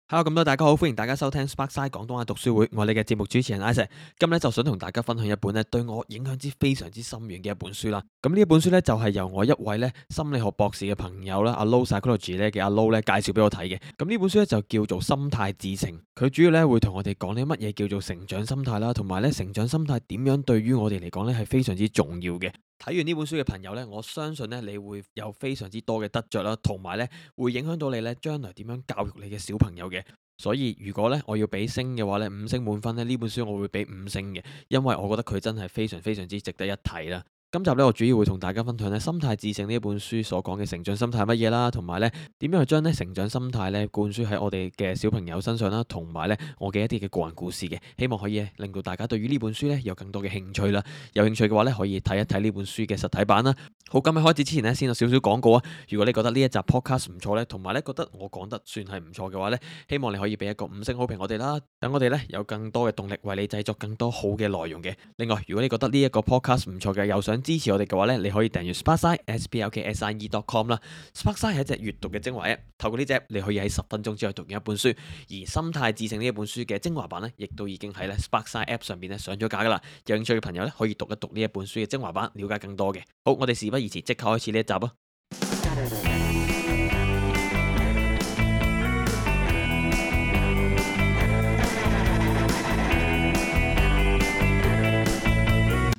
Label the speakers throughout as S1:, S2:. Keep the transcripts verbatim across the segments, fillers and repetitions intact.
S1: Hello，咁多大家好，歡迎大家收聽 Sparkside 廣東話讀書會，我係你嘅節目主持人 Isaac。今日咧就想同大家分享一本咧對我影響之非常之深遠嘅一本書啦。咁呢一本書咧就係由我一位咧心理學博士嘅朋友啦，阿 Low Psychology 咧嘅阿 Low 咧介紹俾我睇嘅。咁呢本書咧就叫做心態致勝，佢主要咧會同我哋講呢乜嘢叫做成長心態啦，同埋咧成長心態點樣對於我哋嚟講咧係非常之重要嘅。睇完呢本書嘅朋友呢，我相信呢，你會有非常之多嘅得着啦，同埋呢會影響到你呢將來點樣教育你嘅小朋友嘅。所以如果呢我要俾星嘅話呢，五星滿分呢，呢本書我會俾五星嘅，因為我覺得佢真係非常非常之值得一睇啦。今集呢，我主要會同大家分享呢《心態致勝》呢一本書所講嘅成長心態係乜嘢啦，同埋呢點樣去將呢成長心態呢灌輸喺我哋嘅小朋友身上啦，同埋呢我嘅一啲嘅個人故事嘅，希望可以令到大家對於呢本書呢有更多嘅興趣啦。有興趣嘅話呢，可以睇一睇呢本書嘅實體版啦。好，咁喺開始之前呢，先有少少廣告啊。如果你覺得呢一集 podcast 唔錯呢，同埋呢覺得我講得算係唔錯嘅話呢，希望你可以俾一個五星好評我哋啦，等我哋呢有更多嘅動力為你製作更多好嘅內容嘅。另外，如果你覺得呢一個 podcast 唔錯嘅，又想支持我哋嘅話呢，你可以訂閱 Sparkside S P L K S I E dot com 啦。Sparkside 係一隻閱讀嘅精華 app，透過呢隻你可以喺十分鐘之內讀完一本書。而心態致勝呢一本書嘅精華版呢，亦都已經喺咧 Sparkside app 上邊咧上咗架噶啦。有興趣嘅朋友呢，可以讀一讀呢一本書嘅精華版，了解更多嘅。好，我哋事不宜遲，即刻開始呢一集啊！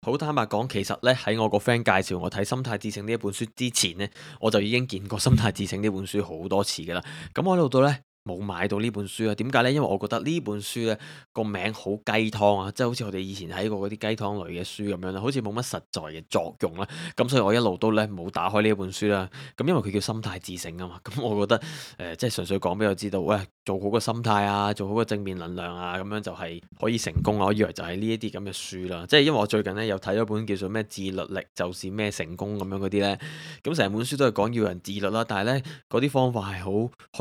S1: 好坦白講，其實咧喺我個 friend 介紹我睇《心態致勝》呢一本書之前呢，我就已經見過《心態致勝》呢本書好多次噶啦。咁我喺度呢，冇買到呢本書啊？點解呢？因為我覺得呢本書呢個名好雞湯啊，即係好似我哋以前睇過嗰啲雞湯類嘅書咁樣啦，好似冇乜實在嘅作用啦。咁所以我一路都呢冇打開呢一本書啦。咁因為佢叫心態致勝啊嘛，咁我覺得誒、呃、即係純粹講俾我知道，喂，做好個心態啊，做好個正面能量啊，咁樣就係可以成功啊。我以為就係呢一啲咁嘅書啦，即係因為我最近呢有睇咗本叫做咩自律力就是咩成功咁樣嗰啲呢。咁成本書都係講要人自律啦，但係呢嗰啲方法係好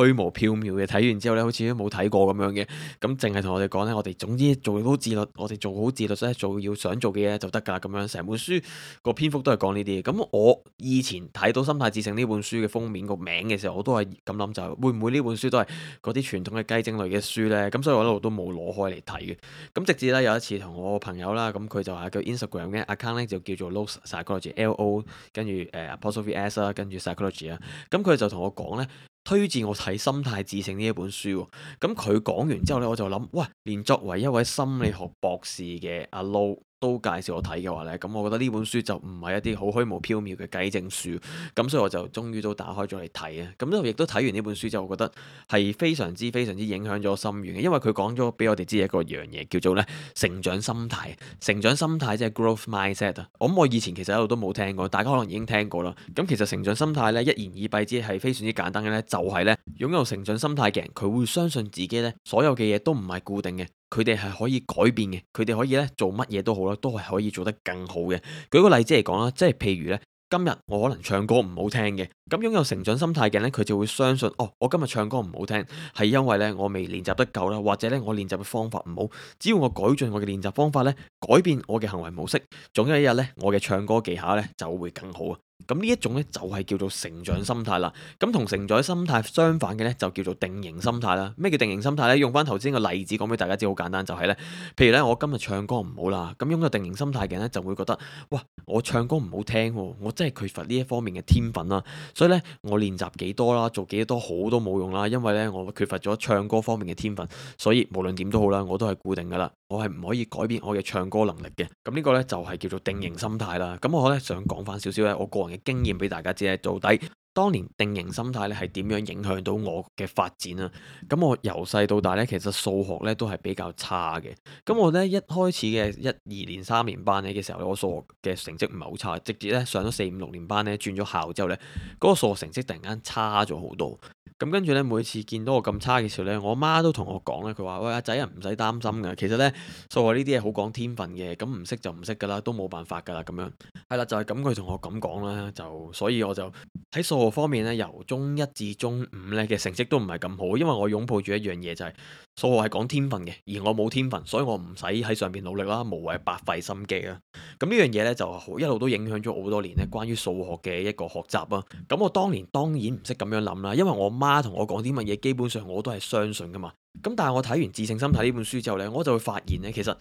S1: 虛無縹緲嘅，睇完之後呢好似都冇睇過咁樣嘅，咁淨係同我哋講呢，我哋總之做好自律，我哋做好自律咧，做要想做嘅嘢就得㗎啦，咁樣成本書個篇幅都係講呢啲。咁我以前睇到《心態致勝》呢本書嘅封面個名嘅時候，我都係咁諗，就會唔會呢本書都係嗰啲傳統嘅雞精類嘅書呢？咁所以我一路都冇攞開嚟睇嘅。咁直至咧有一次同我朋友啦，咁佢就係叫 Instagram 嘅 account 咧，就叫做 Low Psychology L O 跟住誒 apostrophe S 啦，跟住 Psychology 啊。咁佢就同我講呢，推薦我睇《心態致勝》呢一本書喎。咁佢講完之後呢，我就諗，哇！連作為一位心理學博士嘅阿 Low 都介紹我睇嘅話呢，咁我覺得呢本書就唔係一啲好虛無縹緲嘅雞精書。咁所以我就終於都打開咗嚟睇啊。咁亦都睇完呢本書之後，我覺得係非常之非常之影響咗我心願嘅，因為佢講咗俾我哋知一個樣嘢，叫做咧成長心態。成長心態即係 growth mindset 啊。我諗我以前其實一路都冇聽過，大家可能已經聽過啦。咁其實成長心態咧，一言以蔽之係非常之簡單嘅咧，就係咧擁有成長心態嘅人，佢會相信自己咧所有嘅嘢都唔係固定嘅。佢哋係可以改變嘅，佢哋可以咧做乜嘢都好啦，都係可以做得更好嘅。舉個例子嚟講啦，即係譬如咧，今日我可能唱歌唔好聽嘅，咁擁有成長心態嘅人咧，佢就會相信，哦，我今日唱歌唔好聽，係因為咧我未練習得夠啦，或者咧我練習嘅方法唔好。只要我改進我嘅練習方法咧，改變我嘅行為模式，總有一日咧，我嘅唱歌技巧咧就會更好啊！咁呢一種咧就係叫做成長心態啦。咁同成長心態相反嘅咧就叫做定型心態啦。咩叫定型心態咧？用翻頭先個例子講俾大家知，好簡單，就係咧，譬如咧我今日唱歌唔好啦，咁擁有定型心態嘅人咧就會覺得，哇，我唱歌唔好聽喎，我真係缺乏呢一方面嘅天分啦。所以咧我練習幾多啦，做幾多好都冇用啦，因為咧我缺乏咗唱歌方面嘅天分，所以無論點都好啦，我都係固定噶啦，我係唔可以改變我嘅唱歌能力嘅。咁呢個咧就係叫做定型心態啦。咁我咧想講翻少少咧我個人嘅經驗俾大家知咧，到底當年定型心態咧係點樣影響到我嘅發展啊？咁我由細到大咧，其實數學咧都係比較差嘅。咁我咧一開始嘅一二年三年班咧嘅時候咧，我數學嘅成績唔係好差，直至咧上咗四五六年班咧轉咗校之後咧，嗰個數學成績突然間差咗好多。咁跟住咧，每次見到我咁差嘅時候咧，我媽都同我講咧，佢話：喂，阿仔啊，唔使擔心㗎。其實咧，數學呢啲嘢好講天分嘅，咁唔識就唔識㗎啦，都冇辦法㗎啦。咁樣係啦，就係咁佢同我咁講啦，就所以我就喺數學方面咧，由中一至中五咧嘅成績都唔係咁好，因為我擁抱住一樣嘢就係數學係講天分嘅，而我冇天分，所以我唔使喺上邊努力啦，無謂白費心機啦。咁呢樣嘢呢，就好一路都影響咗好多年咧，關於數學嘅一個學習啊。咁我當年當然唔識咁樣諗啦，因為我媽同我講啲乜嘢，基本上我都係相信噶嘛。咁但係我睇完《致勝心態》呢本書之後呢，我就會發現呢，其實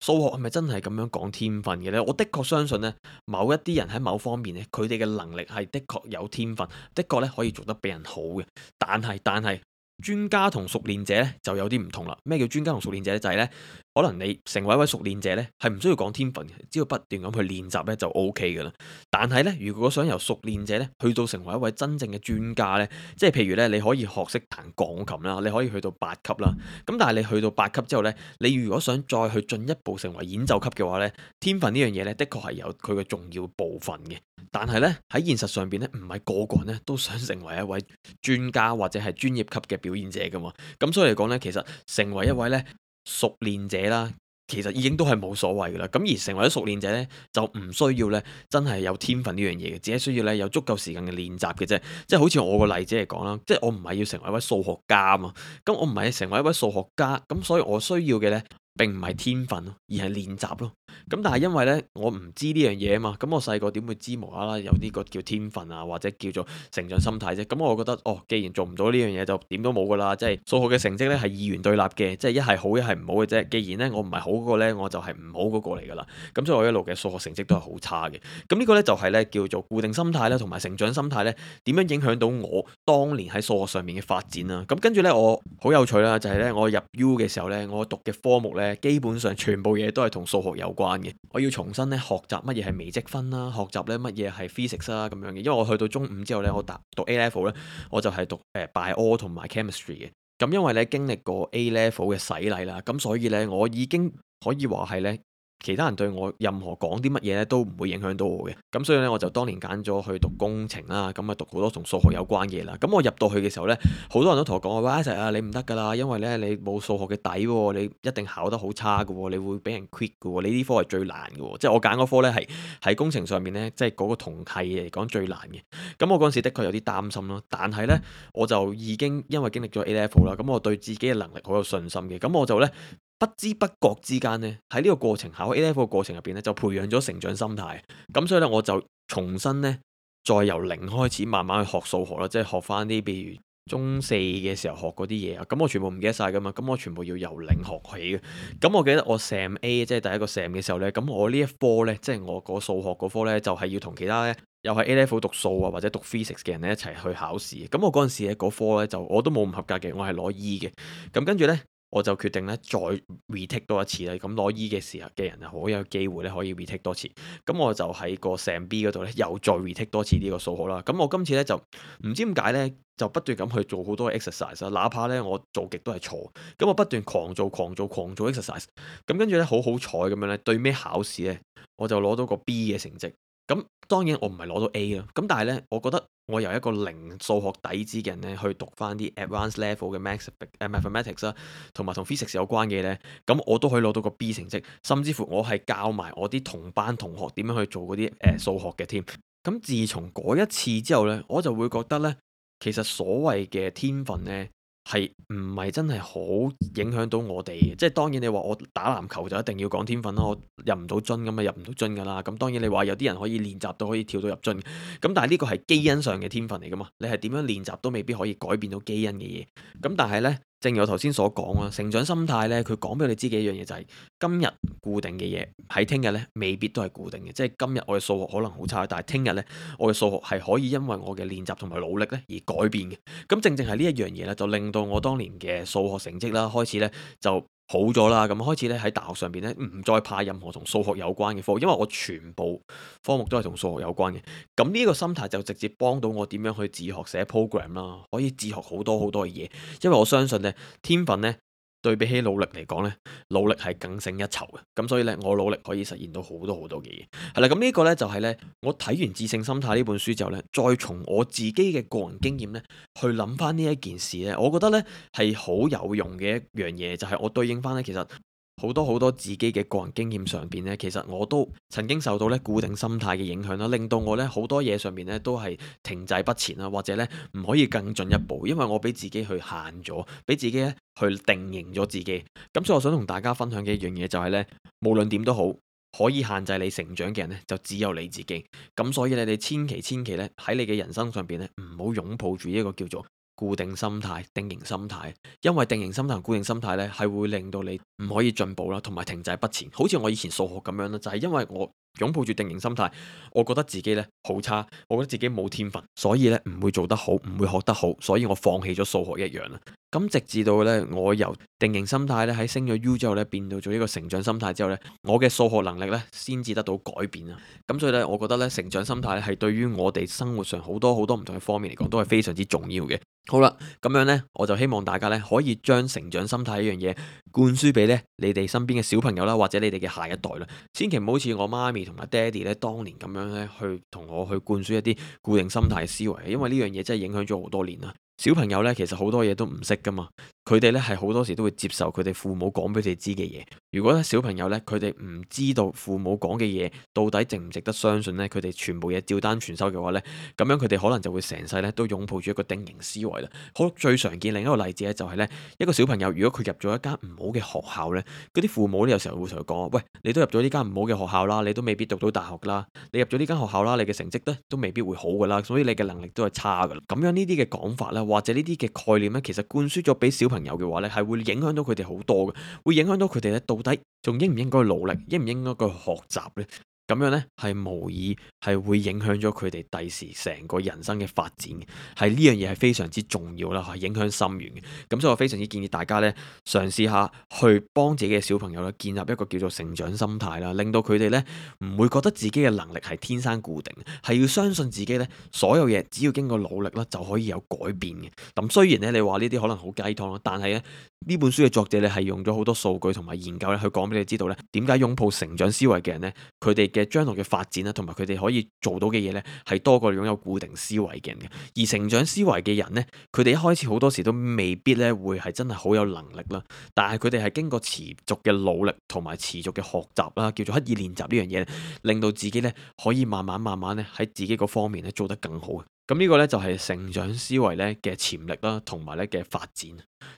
S1: 數學係咪真係咁樣講天分嘅呢？我的確相信呢，某一啲人喺某方面呢，佢哋嘅能力係的確有天分，的確咧可以做得比人好嘅。但係但係。專家同熟練者咧就有啲唔同啦。咩叫專家同熟練者咧？就係咧，可能你成為一位熟練者咧，係唔需要講天分嘅，只要不斷咁去練習咧就 O K 噶啦。但係咧，如果想由熟練者咧去到成為一位真正嘅專家咧，即係譬如咧，你可以學識彈鋼琴啦，你可以去到八級啦。咁但係你去到八級之後咧，你如果想再去進一步成為演奏級嘅話咧，天分呢樣嘢咧，的確係有佢嘅重要部分嘅。但係咧喺現實上邊咧，唔係個個人咧都想成為一位專家或者係專業級嘅表演者噶嘛。咁所以嚟講咧，其實成為一位咧熟練者啦，其實已經都係冇所謂噶啦。咁而成為咗熟練者咧，就唔需要咧真係有天分呢樣嘢嘅，只係需要咧有足夠時間嘅練習嘅啫。即係好似我個例子嚟講啦，即係我唔係要成為一位數學家啊嘛。咁我唔係成為一位數學家，咁所以我需要嘅咧並唔係天分咯，而係練習咯。咁但係因為咧，我唔知呢樣嘢啊嘛，咁我細個點會知無啦啦有呢個叫天分啊，或者叫做成長心態啫？咁我覺得哦，既然做唔到呢樣嘢，就點都冇噶啦。即係數學嘅成績咧係二元對立嘅，即係一係好一係唔好嘅啫。既然咧我唔係好嗰個咧，我就係唔好嗰個嚟噶啦。咁所以我一路嘅數學成績都係好差嘅。咁呢個咧就係咧叫做固定心態啦，同埋成長心態咧點樣影響到我當年喺數學上面嘅發展啦。咁跟住咧我好有趣啦，就係咧我入 U 嘅時候咧，我讀嘅科目咧基本上全部嘢都係同數學有關嘅。我要重新咧學習乜嘢係微積分啦，學習咧乜嘢係 physics 啦咁樣嘅。因為我去到中五之後咧，我答讀 A level 咧，我就係讀誒 bio 同埋 chemistry 嘅。咁因為咧經歷過 A level 嘅洗禮啦，咁所以咧我已經可以話係咧。其他人對我任何講啲乜嘢咧都唔會影響到我嘅，咁所以咧我就當年揀咗去讀工程啦，咁啊讀好多同數學有關嘅嘢啦。咁我入到去嘅時候咧，好多人都同我講話，喂，Isaac啊，你唔得噶啦，因為咧你冇數學嘅底喎，你一定考得好差噶喎，你會俾人 quit 噶喎，你呢科係最難噶喎，即係我揀嗰科咧係喺工程上面咧，即係嗰個同系嚟講最難嘅。咁我嗰陣時的確有啲擔心咯，但係咧我就已經因為經歷咗 A level 啦，咁我對自己嘅能力好有信心嘅，咁我就咧。不知不覺之間呢，喺呢個過程考 A level 嘅過程入邊咧，就培養咗成長心態。咁所以咧，我就重新呢，再由零開始慢慢去學數學啦，即係學翻啲，譬如中四嘅時候學嗰啲嘢啊。咁我全部唔記得晒噶嘛，咁我全部要由零學起嘅。咁我記得我 Sam A 即係第一個 Sam 嘅時候呢，咁我呢一科呢，即係我個數學嗰科呢，就係要同其他呢，又係 A level 讀數啊或者讀 physics 嘅人咧一齊去考試。咁我嗰陣時咧嗰科呢，就我都冇唔合格嘅，我係攞 E 嘅。咁跟住呢。我就決定咧再 retake 多一次啦，咁攞 E 嘅時候嘅人啊，好有機會咧可以 retake 多次。咁我就喺個 Sam B 嗰度咧又再 retake 多次呢個數學啦。咁我今次咧就唔知點解咧就不斷咁去做好多 exercise 啦，哪怕咧我做極都係錯，咁我不斷狂做狂做狂做 exercise。咁跟住咧好好彩咁樣咧，對尾考試咧我就攞到個 B 嘅成績。咁當然我唔係攞到 A 啦，咁但係咧，我覺得我由一個零數學底子嘅人咧，去讀翻啲 advanced level 嘅 math 誒 mathematics 啦，同埋同 physics 有關嘅咧，咁我都可以攞到個 B 成績，甚至乎我係教埋我啲同班同學點樣去做嗰啲誒數學嘅添。咁自從嗰一次之後咧，我就會覺得咧，其實所謂嘅天分咧，係唔係真係好影響到我哋嘅？即係當然你話我打籃球就一定要講天分啦，我入唔到樽咁啊入唔到樽噶啦。咁當然你話有啲人可以練習到可以跳到入樽，咁但係呢個係基因上嘅天分嚟噶嘛？你係點樣練習都未必可以改變到基因嘅嘢。咁但係呢，正如我頭先所講啊，成長心態呢，佢講俾你知嘅一樣嘢就係今日固定嘅嘢喺聽日呢未必都係固定嘅。即係今日我嘅數學可能好差，但係聽日呢，我嘅數學係可以因為我嘅練習同埋努力呢而改變嘅。咁正正係呢一樣嘢呢，就令到我當年嘅數學成績啦，開始呢就好咗啦。咁開始呢喺大學上邊呢，唔再怕任何同數學有關嘅科，因為我全部科目都係同數學有關嘅。咁呢個心態就直接幫到我點樣去自學寫 program 啦，可以自學好多好多嘅嘢。因為我相信呢，天分呢對比起努力嚟講呢，努力係更勝一籌嘅。咁所以呢，我努力可以實現到好多好多嘅嘢。係啦，咁呢個呢就係呢，我睇完《致勝心態》呢本書之後呢，再從我自己嘅個人經驗呢去諗翻呢一件事呢，我覺得呢係好有用嘅一樣嘢，就係我對應翻呢，其實好多好多自己嘅個人經驗上邊呢，其實我都曾經受到咧固定心態嘅影響啦，令到我咧好多嘢上面咧都係停滯不前啦，或者咧唔可以更進一步，因為我俾自己去限咗，俾自己咧去定型咗自己。咁所以我想同大家分享嘅一樣嘢就係咧，無論點都好，可以限制你成長嘅人咧就只有你自己。咁所以咧，你千祈千祈咧喺你嘅人生上邊咧唔好擁抱住一個叫做固定心態、定型心態，因為定型心態同固定心態咧係會令到你唔可以進步啦，同埋停滯不前。好似我以前數學咁樣啦，就係因為我擁抱住定型心態，我覺得自己咧好差，我覺得自己冇天分，所以咧唔會做得好，唔會學得好，所以我放棄咗數學一樣啦。咁直至到咧我由定型心態咧喺升咗 U 之後咧變到咗一個成長心態之後咧，我嘅數學能力咧先至得到改變啊。咁所以咧，我覺得咧成長心態咧係對於我哋生活上好多好多唔同嘅方面嚟講都係非常之重要嘅。好啦，咁樣呢，我就希望大家呢可以將成長心態呢樣嘢灌輸俾呢你哋身邊嘅小朋友啦，或者你哋嘅下一代啦。千祈唔好似我媽咪同埋爹哋呢當年咁樣呢去同我去灌輸一啲固定心態嘅思維，因為呢樣嘢真係影響咗好多年啦。小朋友呢，其實好多嘢都唔識噶嘛，佢哋呢係好多時都會接受佢哋父母講俾佢哋知嘅嘢。如果小朋友呢，佢哋唔知道父母講嘅嘢到底值唔值得相信呢，佢哋全部嘢照單全收嘅話呢，咁樣佢哋可能就會成世呢都擁抱住一個定型思維啦。好，最常見另一個例子呢，就係呢一個小朋友，如果佢入咗一間唔好嘅學校呢，嗰啲父母呢有時候會同佢講：喂，你都入咗呢間唔好嘅學校啦，你都未必讀到大學啦，你入咗呢間學校啦，你嘅成績呢都未必會好噶啦，所以你嘅能力都係差噶啦。咁樣呢啲嘅講法呢，或者呢啲嘅概念呢，其實灌輸咗俾小朋友嘅話呢，係會影響到佢哋好多嘅，會影響到佢哋呢到底仲應唔應該努力，應唔應該去學習呢？咁樣呢，係無疑係會影響咗佢哋第時成個人生嘅發展嘅，係呢樣嘢係非常之重要啦，係影響深遠嘅。咁所以我非常之建議大家呢，嘗試下去幫自己嘅小朋友咧建立一個叫做成長心態啦，令到佢哋呢唔會覺得自己嘅能力係天生固定，係要相信自己呢所有嘢只要經過努力啦就可以有改變嘅。咁雖然呢，你話呢啲可能好雞湯啦，但係呢呢本書嘅作者呢係用咗好多數據同埋研究咧去講俾你知道呢點解擁抱成長思維嘅人呢，佢哋嘅將來嘅發展啦，同埋佢哋可以做到嘅嘢呢，係多過擁有固定思維嘅人嘅。而成長思維嘅人呢，佢哋一開始好多時都未必咧會係真係好有能力啦，但係佢哋係經過持續嘅努力同埋持續嘅學習啦，叫做刻意練習呢樣嘢，令到自己呢可以慢慢慢慢咧喺自己個方面咧做得更好。咁呢個呢，就係成長思維咧嘅潛力啦，同埋咧嘅發展。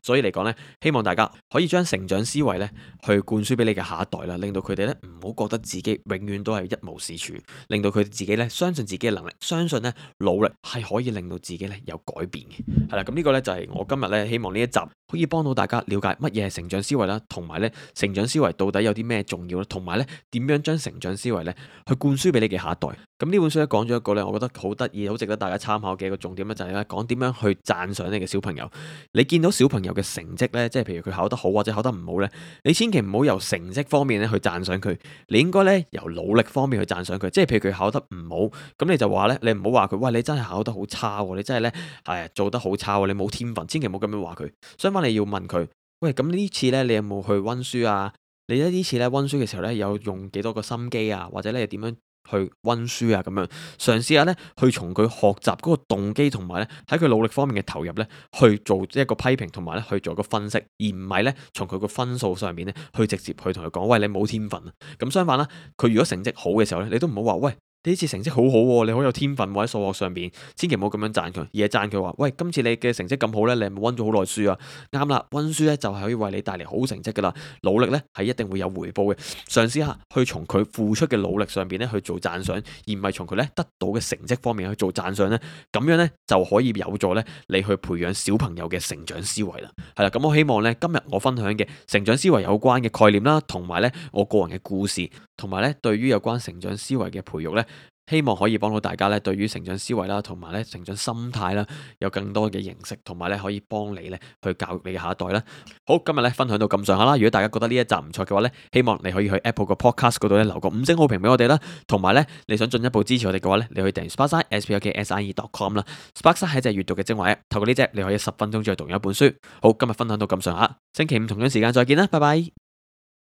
S1: 所以嚟講呢，希望大家可以將成長思維呢去灌輸俾你嘅下一代啦，令到佢哋呢唔好覺得自己永遠都係一無是處，令到佢哋自己呢相信自己嘅能力，相信呢努力係可以令到自己呢有改變嘅。係啦，咁呢個呢就係我今日呢希望呢一集可以幫到大家了解乜嘢係成長思維啦，同埋呢成長思維到底有啲咩重要啦，同埋呢點樣將成長思維呢去灌輸俾你嘅下一代。咁呢本書咧講咗一個呢，我覺得好得意、好值得大家參考嘅一個重點呢，就係咧講點樣去讚賞你嘅小朋友。你見到小朋友嘅成績呢，即係譬如佢考得好或者考得唔好呢，你千祈唔好由成績方面咧去讚賞佢，你應該呢由努力方面去讚賞佢。即係譬如佢考得唔好，咁你就話呢，你唔好話佢，喂，你真係考得好差喎，你真係呢係做得好差喎，你冇天分，千祈唔好咁樣話佢。相反你要問佢，喂，咁呢次呢，你有冇去温書啊？你呢呢次呢温書嘅時候呢，有用幾多個心機啊？或者你點樣去温書啊，咁樣嘗試下咧，去從佢學習嗰個動機同埋咧喺佢努力方面嘅投入咧，去做一個批評同埋咧去做一個分析，而唔係咧從佢個分數上面咧去直接去同佢講，喂，你冇天分啊！咁相反啦，佢如果成績好嘅時候咧，你都唔好話，喂，呢次成績好好喎，你好有天分喎，喺數學上邊，千祈唔好咁樣讚佢，而係讚佢話，喂，今次你嘅成績咁好咧，你係咪温咗好耐書啊？啱啦，温書咧就係可以為你帶嚟好成績噶啦，努力咧係一定會有回報嘅。嘗試下去從佢付出嘅努力上邊咧去做讚賞，而唔係從佢咧得到嘅成績方面去做讚賞咧，咁樣咧就可以有助咧你去培養小朋友嘅成長思維啦。係啦，咁我希望咧今日我分享嘅成長思維有關嘅概念啦，同埋咧我個人嘅故事，同埋咧對於有關成長思維嘅培育咧，希望可以幫到大家咧，對於成長思維啦，同埋咧成長心態啦，有更多嘅認識，同埋咧可以幫你咧去教育你嘅下一代啦。好，今日咧分享到咁上下啦。如果大家覺得呢一集唔錯嘅話咧，希望你可以去 Apple 個 Podcast 嗰度咧留個五星好評俾我哋啦。同埋咧，你想進一步支持我哋嘅話咧，你可以訂閱 Sparkside S P A R K S I D E dot com 啦。Sparkside 係一隻閱讀嘅精華 App，透過呢隻你可以十分鐘之內讀完一本書。好，今日分享到咁上下，星期五同樣時間再見啦，拜拜。